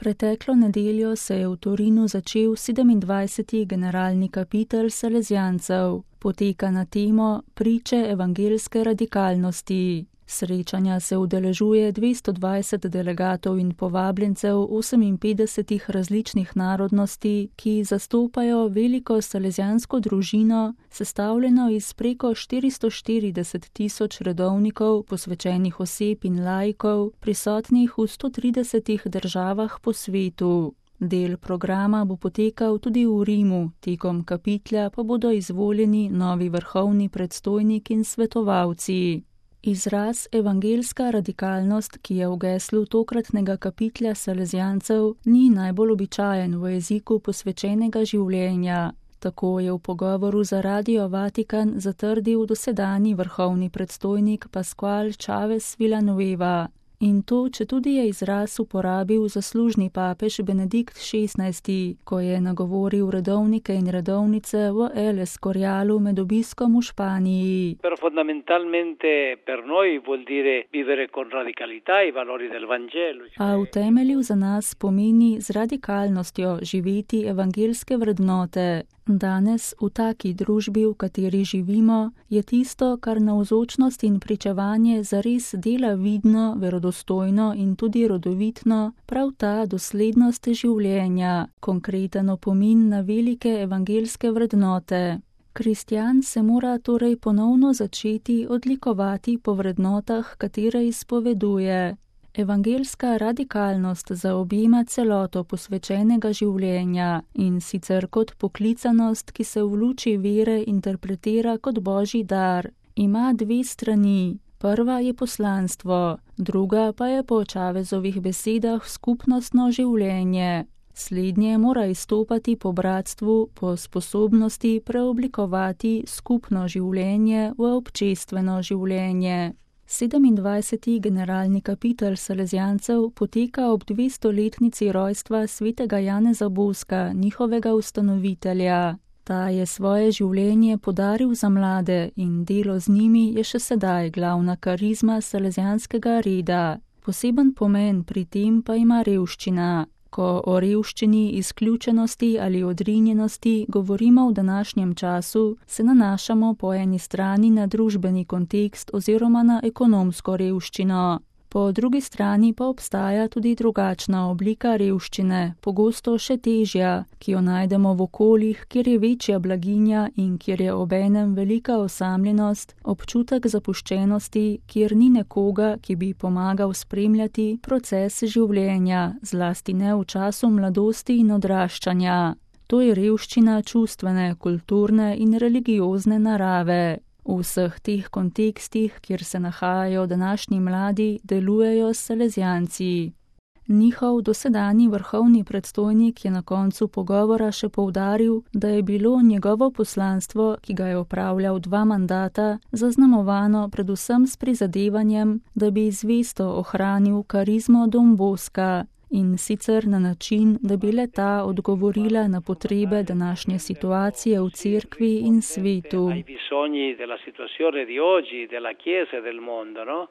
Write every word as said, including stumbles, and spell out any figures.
Preteklo nedeljo se je v Torinu začel sedemindvajseti generalni kapitel Salezijancev. Poteka na temo Priče evangeljske radikalnosti. Srečanja se udeležuje dvesto dvajset delegatov in povabljencev oseminpetdesetih različnih narodnosti, ki zastopajo veliko salezijansko družino, sestavljeno iz preko štiristo štirideset tisoč redovnikov, posvečenih oseb in laikov, prisotnih v sto tridesetih državah po svetu. Del programa bo potekal tudi v Rimu, tekom kapitlja pa bodo izvoljeni novi vrhovni predstojnik in svetovalci. Izraz evangeljska radikalnost, ki je v geslu tokratnega kapitlja Salezijancev, ni najbolj običajen v jeziku posvečenega življenja. Tako je v pogovoru za Radio Vatikan zatrdil dosedanji vrhovni predstojnik Pascual Chavez Villanueva. In to, četudi je izraz uporabil zaslužni papež Benedikt šestnajsti, ko je nagovoril redovnike in redovnice v El Escorialu med obiskom v Španiji. Pero fondamentalmente per noi vuol dire vivere con radicalità i valori del Vangelo. A v temelju za nas pomeni z radikalnostjo živeti evangeljske vrednote. Danes, v taki družbi, v kateri živimo, je tisto, kar navzočnost in pričevanje zares dela vidno, verodostojno in tudi rodovitno, prav ta doslednost življenja, konkreten opomin na velike evangeljske vrednote. Kristjan se mora torej ponovno začeti odlikovati po vrednotah, katere izpoveduje. Evangeljska radikalnost zaobjema celoto posvečenega življenja in sicer kot poklicanost, ki se v luči vere interpretira kot božji dar. Ima dve strani. Prva je poslanstvo, druga pa je po Chavezovih besedah skupnostno življenje. Slednje mora izstopati po bratstvu, po sposobnosti preoblikovati skupno življenje v občestveno življenje. sedemindvajseti generalni kapitel Salezijancev poteka ob dvestoletnici rojstva svetega Janeza Boska, njihovega ustanovitelja. Ta je svoje življenje podaril za mlade in delo z njimi je še sedaj glavna karizma salezijanskega reda. Poseben pomen pri tem pa ima revščina. Ko o revščini, izključenosti ali odrinjenosti govorimo v današnjem času, se nanašamo po eni strani na družbeni kontekst oziroma na ekonomsko revščino. Po drugi strani pa obstaja tudi drugačna oblika revščine, pogosto še težja, ki jo najdemo v okoljih, kjer je večja blaginja in kjer je obenem velika osamljenost, občutek zapuščenosti, kjer ni nekoga, ki bi pomagal spremljati proces življenja, zlasti ne v času mladosti in odraščanja. To je revščina čustvene, kulturne in religiozne narave. V vseh teh kontekstih, kjer se nahajajo današnji mladi, delujejo Salezijanci. Njihov dosedanji vrhovni predstojnik je na koncu pogovora še poudaril, da je bilo njegovo poslanstvo, ki ga je opravljal dva mandata, zaznamovano predvsem s prizadevanjem, da bi zvesto ohranil karizmo Don Boska, in sicer na način, da bi le-ta odgovorila na potrebe današnje situacije v cerkvi in svetu.